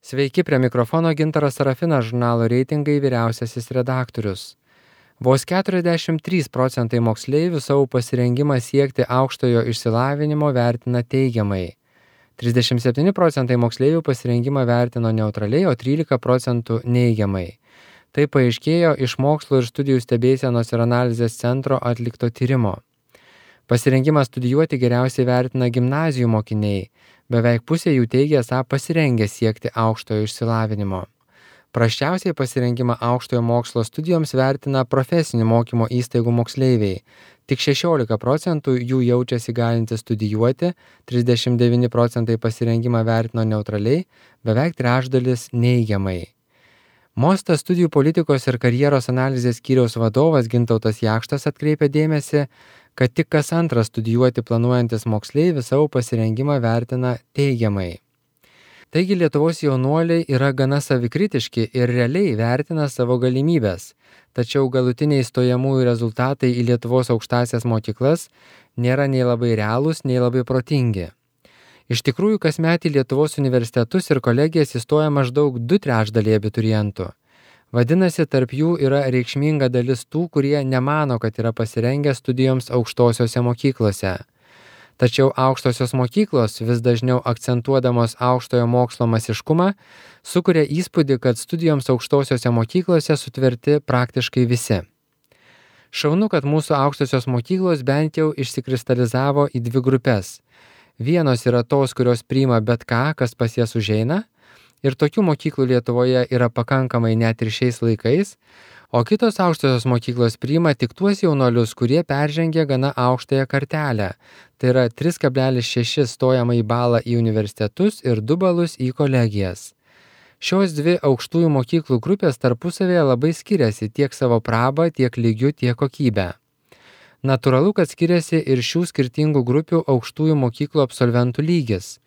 Sveiki, prie mikrofono Gintaras Sarafinas, žurnalo Reitingai vyriausiasis redaktorius. Vos 43% moksleivių savo pasirengimą siekti aukštojo išsilavinimo vertina teigiamai. 37% moksleivių pasirengimą vertino neutraliai, o 13% neigiamai. Tai paaiškėjo iš Mokslo ir studijų stebėsenos ir analizės centro atlikto tyrimo. Pasirengimą studijuoti geriausiai vertina gimnazijų mokiniai. Beveik pusė jų teigia esą pasirengę siekti aukštojo išsilavinimo. Prasčiausiai pasirengimą aukštojo mokslo studijoms vertina profesinių mokymo įstaigų moksleiviai. Tik 16% jų jaučiasi galintys studijuoti, 39% pasirengimą vertino neutraliai, beveik trečdalis neigiamai. Mostas studijų politikos ir karjeros analizės skyriaus vadovas Gintautas Jakštas atkreipia dėmesį, kad tik kas antras studijuoti planuojantis moksleivis savo pasirengimą vertina teigiamai. Taigi Lietuvos jaunuoliai yra gana savikritiški ir realiai vertina savo galimybės, tačiau galutiniai stojamųjų rezultatai į Lietuvos aukštąsias mokyklas nėra nei labai realūs, nei labai protingi. Iš tikrųjų, kasmet į Lietuvos universitetus ir kolegijas įstoja maždaug 2/3 abiturientų. Vadinasi, tarp jų yra reikšminga dalis tų, kurie nemano, kad yra pasirengę studijoms aukštosiose mokyklose. Tačiau aukštosios mokyklos, vis dažniau akcentuodamos aukštojo mokslo masiškumą, sukuria įspūdį, kad studijoms aukštosiose mokyklose sutverti praktiškai visi. Šaunu, kad mūsų aukštosios mokyklos bent jau išsikristalizavo į dvi grupės. Vienos yra tos, kurios priima bet ką, kas pas jas užeina, ir tokių mokyklų Lietuvoje yra pakankamai net ir šiais laikais, o kitos aukštosios mokyklos priima tik tuos jaunuolius, kurie peržengia gana aukštąją kartelę, tai yra 3,6 stojamąjį balą į universitetus ir 2 balus į kolegijas. Šios dvi aukštųjų mokyklų grupės tarpusavėje labai skiriasi tiek savo prabą, tiek lygiu, tiek kokybę. Natūralu, kad skiriasi ir šių skirtingų grupių aukštųjų mokyklų absolventų lygis.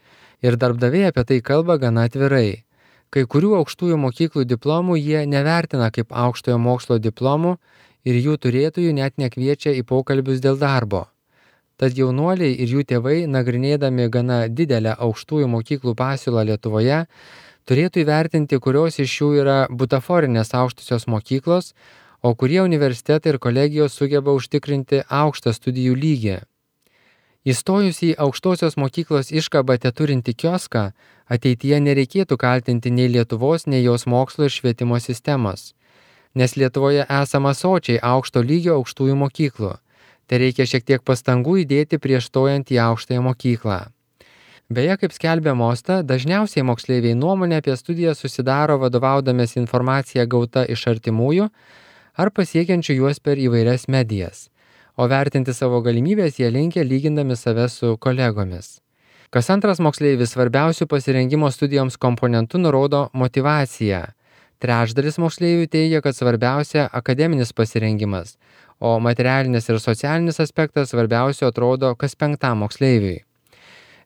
Ir darbdaviai apie tai kalba gana atvirai. Kai kurių aukštųjų mokyklų diplomų jie nevertina kaip aukštojo mokslo diplomų ir jų turėtojų net nekviečia į pokalbius dėl darbo. Tad jaunuoliai ir jų tėvai, nagrinėdami gana didelę aukštųjų mokyklų pasiūlą Lietuvoje, turėtų įvertinti, kurios iš jų yra butaforinės aukštosios mokyklos, o kurie universitetai ir kolegijos sugeba užtikrinti aukštą studijų lygį. Įstojus į aukštosios mokyklos iškabą teturintį kioską, ateityje nereikėtų kaltinti nei Lietuvos, nei jos mokslo ir švietimo sistemos. Nes Lietuvoje esama sočiai aukšto lygio aukštųjų mokyklų. Tai reikia šiek tiek pastangų įdėti prieš stojant į aukštąją mokyklą. Beje, kaip skelbia Mosta, dažniausiai moksleiviai nuomonę apie studiją susidaro vadovaudamės informaciją gauta iš artimųjų ar pasiekiančių juos per įvairias medijas. O vertinti savo galimybės jie linkia lygindami save su kolegomis. Kas antras moksleivis svarbiausių pasirengimo studijoms komponentų nurodo motyvaciją. Trečdalis moksleivių teigia, kad svarbiausia akademinis pasirengimas, o materialinis ir socialinis aspektas svarbiausiu atrodo kas 5 moksleiviui.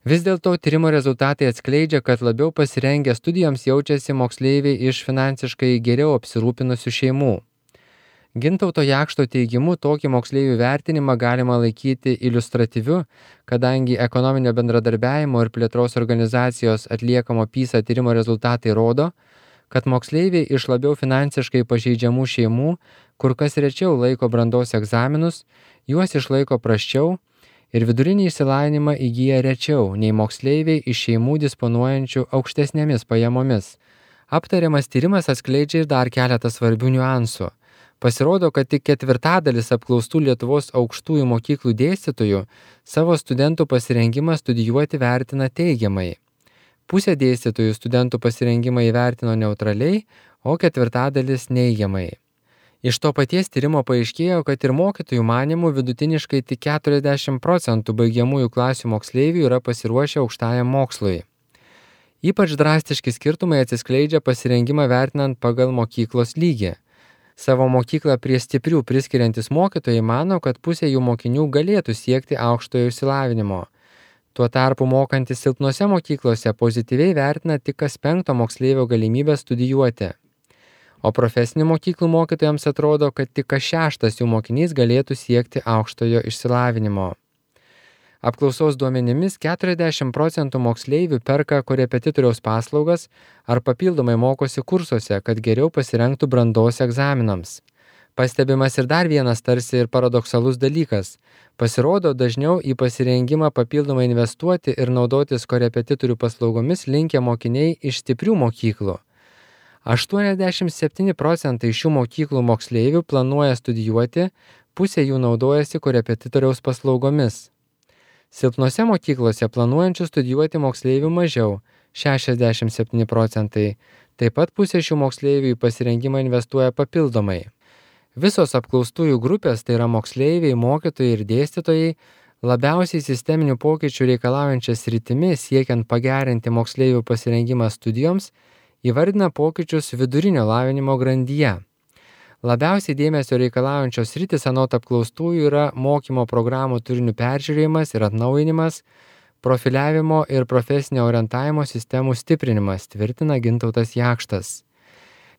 Vis dėlto tyrimo rezultatai atskleidžia, kad labiau pasirengę studijoms jaučiasi moksleiviai iš finansiškai geriau apsirūpinusių šeimų. Gintauto Jakšto teigimu tokį moksleivių vertinimą galima laikyti iliustratyviu, kadangi ekonominio bendradarbiavimo ir plėtros organizacijos atliekamo PISA tyrimo rezultatai rodo, kad moksleiviai iš labiau finansiškai pažeidžiamų šeimų kur kas rečiau laiko brandos egzaminus, juos išlaiko prasčiau ir vidurinį išsilavinimą įgyja rečiau nei moksleiviai iš šeimų disponuojančių aukštesnėmis pajamomis. Aptariamas tyrimas atskleidžia ir dar keletą svarbių niuansų. Pasirodo, kad tik 1/4 apklaustų Lietuvos aukštųjų mokyklų dėstytojų savo studentų pasirengimą studijuoti vertina teigiamai. Pusė dėstytojų studentų pasirengimą įvertino neutraliai, o 1/4 neigiamai. Iš to paties tyrimo paaiškėjo, kad ir mokytojų manimų vidutiniškai tik 40% baigiamųjų klasių moksleivių yra pasiruošę aukštajam mokslui. Ypač drastiški skirtumai atsiskleidžia pasirengimą vertinant pagal mokyklos lygį. Savo mokyklą prie stiprių priskiriantis mokytojai mano, kad pusė jų mokinių galėtų siekti aukštojo išsilavinimo. Tuo tarpu mokantis silpnose mokyklose pozityviai vertina tik kas 5 moksleivio galimybę studijuoti. O profesinių mokyklų mokytojams atrodo, kad tik kas 6 jų mokinys galėtų siekti aukštojo išsilavinimo. Apklausos duomenimis 40% moksleivių perka korepetitoriaus paslaugas ar papildomai mokosi kursuose, kad geriau pasirengtų brandos egzaminams. Pastebimas ir dar vienas tarsi ir paradoksalus dalykas. Pasirodo, dažniau į pasirengimą papildomai investuoti ir naudotis korepetitorių paslaugomis linkę mokiniai iš stiprių mokyklų. 87% šių mokyklų moksleivių planuoja studijuoti, pusė jų naudojasi korepetitoriaus paslaugomis. Silpnose mokyklose planuojančių studijuoti moksleivių mažiau – 67%. Taip pat pusė šių moksleivių į pasirengimą investuoja papildomai. Visos apklaustųjų grupės, tai yra moksleiviai, mokytojai ir dėstytojai, labiausiai sisteminių pokyčių reikalaujančias sritimi siekiant pagerinti moksleivių pasirengimą studijoms, įvardina pokyčius vidurinio lavinimo grandyje. Labiausiai dėmesio reikalaujančios sritis anot apklaustųjų yra mokymo programų turinių peržiūrėjimas ir atnaujinimas, profiliavimo ir profesinio orientavimo sistemų stiprinimas, tvirtina Gintautas Jakštas.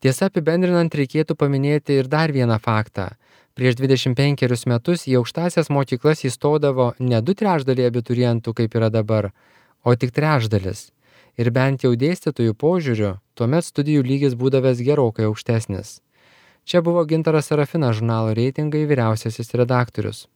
Tiesa, apibendrinant reikėtų paminėti ir dar vieną faktą. Prieš 25 metus į aukštąsias mokyklas įstodavo ne 2/3 abiturientų, kaip yra dabar, o tik 1/3. Ir bent jau dėstytojų požiūriu, tuomet studijų lygis būdavęs gerokai aukštesnis. Čia buvo Gintaras Serafinas, žurnalo Reitingai vyriausiasis redaktorius.